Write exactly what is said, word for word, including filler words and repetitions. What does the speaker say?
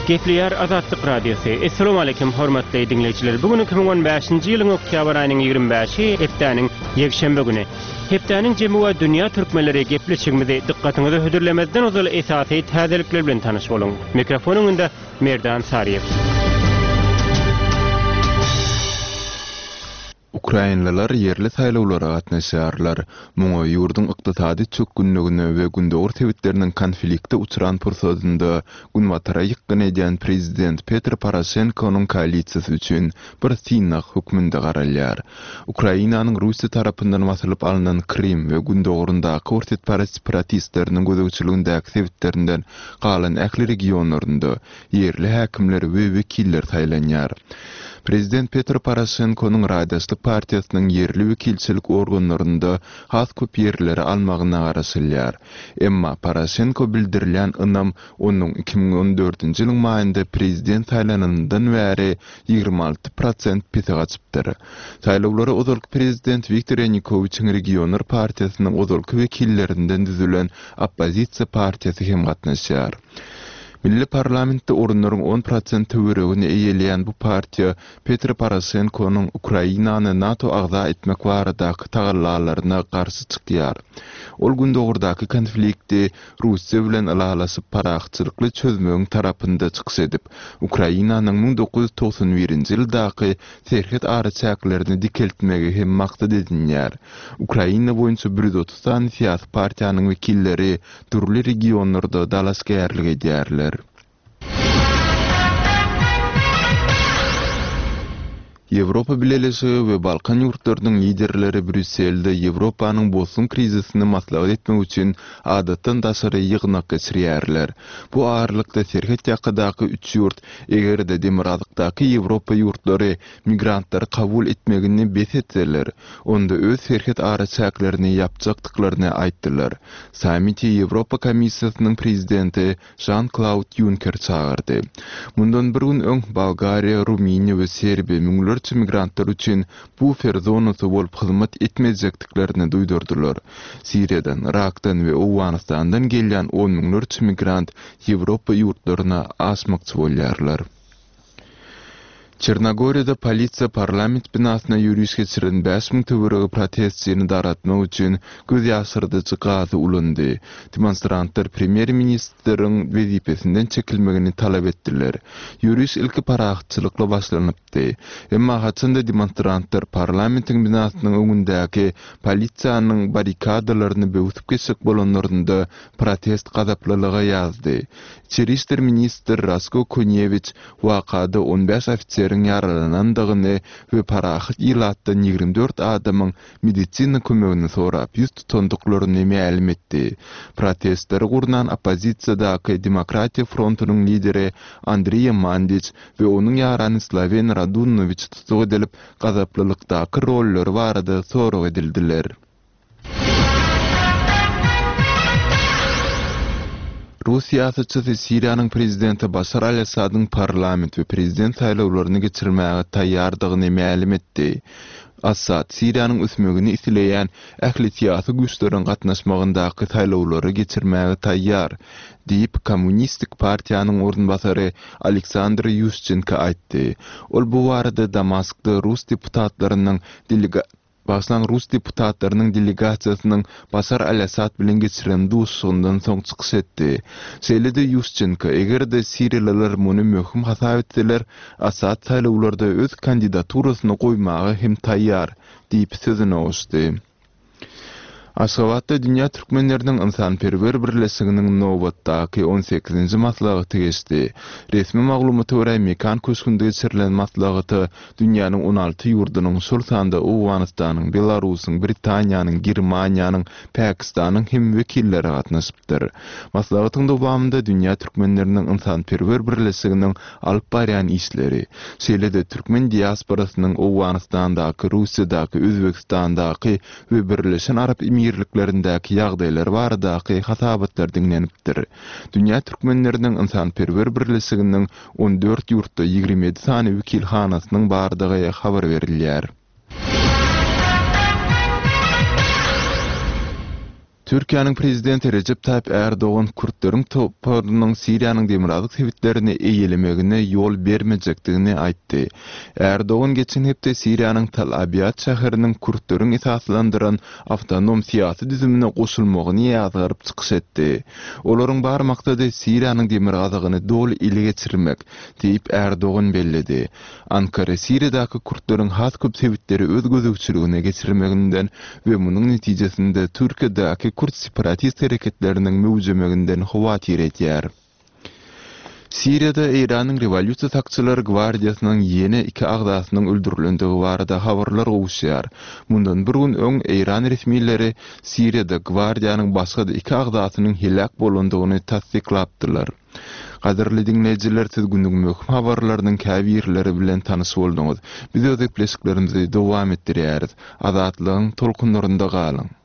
Gepleýär Azatlyk Radiosy. Essalamu aleýkum hormatly diňleýjiler. Bu gün iki müň on bäşinji ýylyň oktýabr aýynyň ýigrimi bäşi, hepdäniň ýekşenbe güni. Hepdäniň jemi we dünýä türkmenleri gepleşigimizi dykgatyňyza hödürlemezden ozal esasy täzelikler bilen tanyş boluň. Mikrofon öňünde Merdan Saryýew. Ukrainliler ýerli saýlawlara gatnaşýarlar. Muňa ýurduň ykdysady çökgünligine we gündogar sebitleriniň konflikte uçran pursadynda günbatara ýykgyn edýän prezident Petr Poroşenkonyň koalisiýasy üçin bir synag hökmünde garalýar. Ukrainanyň Russiýa tarapyndan basylyp alnan Krym we gündogaryndaky orsýetparaz separatistleriniň gözegçiligindäki sebitlerinden galan ähli regionlarynda ýerli häkimler we wekiller saýlanýar. Prezident Petr Poroşenkonyň Raýdaşlyk partiýasynyň ýerli wekilçilik organlarynda has köp ýerleri almagyna garaşylýar. Emma Poroşenko bildirilýän ynam onuň iki müň on dördünji ýylyň maýynda prezident saýlananyndan bäri ýigrimi alty prosent pese gaçypdyr. Saýlawlara ozalky prezident Wiktor Ýanukowiçiň Regionlar partiýasynyň ozalky wekillerinden düzülen oppozisiýa partiýasy hem gatnaşýar. Milli parlamentde orunlaryň on prosent töweregini eýeleýän bu partiýa Petr Poroşenkonyň Ukrainany NATO agza etmek baradaky tagallalaryna garşy çykýar. Ol gündogardaky konflikti Russiýa bilen ylalaşyp parahatçylykly çözmegiň tarapynda çykyş edip, Ukrainanyň müň dokuz ýüz togsan birinji ýyldaky serhet araçäklerini dikeltmegi hem maksat edinýär. Ukraina boýunça bir ýüz otuz sany syýasy partiýanyň wekilleri dürli regionlarda dalaşgärlik edýärler. Ýewropa Bileleşigi we Balkan ýurtlarynyň liderleri Brýusselde Ýewropanyň bosgun krizisini maslahat etmek üçin adatdan daşary ýygnak geçirýärler. Bu aralykda serhet ýakadaky üç ýurt, eger-de demirgazykdaky Ýewropa ýurtlary migrantlary kabul etmegini bes etseler, onda öz serhet araçäklerini ýapjakdyklaryny aýtdylar. Sammiti Ýewropa Komissiýasynyň prezidenti Žan-Klaud Ýunker çagyrdy. Mundan bir gün öň Bolgariýa, Rumyniýa we Serbiýa müňlerçe migrantlar üçin bufer zonasy bolup hyzmat etmejekdiklerini duýdurdylar. Siriýadan, Yrakdan we Owganystandan gelýän on müňlerçe migrant Ýewropa ýurtlaryna aşmakçy bolýarlar. Çernogoriýada polisiýa parlament binasyna ýöriş geçiren bäş müň töweregi protestçini daratmak üçin göz ýaşyrdyjy gazy ulandy. Demonstrantlar premýer-ministriň wezipesinden çekilmegini talap etdiler. Ýöriş ilki parahatçylykly başlanypdy. Emma haçanda demonstrantlar parlamentiň binasynyň öňündäki polisiýanyň barrikadalaryny böwsüp geçjek bolanlarynda protest gazaplylyga ýazdy. Içeri işler ministri Rasko Konýewiç wakada on bäş ofiseriň ýaralanandygyny we parahat ilatdan ýigrimi dört adamyň medisina kömegini sorap ýüz tutandyklaryny mälim etdi. Protestleri gurnan oppozisiýadaky Demokratiýa frontunyň lideri Andriýa Mandiç we onuň ýarany Slawen Radunowiç tussag edilip, gazaplylykdaky rollary barada sorag edildiler. Rus syýasatçysy Siriýanyň prezidenti Başar al-Assadyň parlament we prezident saýlawlaryny geçirmäge taýýardygyny mälim etdi. Assad Siriýanyň ösmegini isleýän ähli syýasy güýçleriň gatnaşmagyndaky saýlawlary geçirmäge taýýar, diýip, Kommunistik partiýanyň orunbasary Aleksandr Ýuşçenko aýtdy. Ol bu barada Damaskda rus deputatlarynyň delega-, Bagyşlaň, rus deputatlarynyň delegasiýasynyň Başar al-Assad bilen geçiren duşuşygyndan soň çykyş etdi. Şeýle-de Ýuşçenko, eger-de siriýalylar muny möhüm hasap etseler, Assad saýlawlarda öz kandidaturasyny goýmaga hem taýýar, diýip sözüne goşdy. Aşgabatda Dünýä türkmenleriniň ynsanperwer birleşiginiň nobatdaky on sekizinji maslahaty geçdi. Resmi maglumata görä, Mekan köşgünde geçirilen maslahata dünýäniň on alty ýurdunyň, şol sanda Owganystanyň, Belarusyň, Britaniýanyň, Germaniýanyň, Pakistanyň hem wekilleri gatnaşypdyr. Maslahatyň dowamynda Dünýä türkmenleriniň ynsanperwer birleşiginiň alyp barýan işleri, şeýle-de türkmen diasporasynyň Owganystandaky, Russiýadaky, Özbegistandaky we Birleşen Arap Emirliklerindäki ýagdaýlar baradaky hasabatlar diňlenipdir. Dünýä türkmenleriniň ynsanperwer birleşiginiň on dört ýurtda ýigrimi ýedi sany wekilhanasynyň bardygy habar berilýär. Türkiýäniň prezidenti Rejep Taýyp Ärdogan kürtleriň toparynyň Siriýanyň demirgazyk sebitlerini eýelemegine ýol bermejekdigini aýtdy. Ärdogan geçen hepde Siriýanyň Tal Abýad şäheriniň kürtleriň esaslandyran awtonom syýasy düzümine goşulmagyny ýazgaryp çykyş etdi. Olaryň bar maksady Siriýanyň demirgazygyny doly ele geçirmek, diýip Ärdogan belledi. Ankara Siriýadaky kürtleriň has köp sebitleri öz gözegçiligine geçirmeginden we munuň netijesinde Türkiýedäki kürt separatist hereketleriniň möwjemeginden howatyr edýär. Siriýada Eýranyň Rewolýusiýa sakçylary gwardiýasynyň ýene iki agzasynyň öldürilendigi barada habarlar gowuşýar. Mundan bir gün öň Eýran resmileri Siriýada gwardiýanyň başga-da iki agzasynyň heläk bolandygyny tassyklapdylar. Gadyrly diňleýjiler, siz günüň möhüm habarlarynyň käbirleri bilen tanyş bolduňyz. Biz öz gepleşiklerimizi dowam etdirýäris. Azatlygyň tolkunlarynda galyň.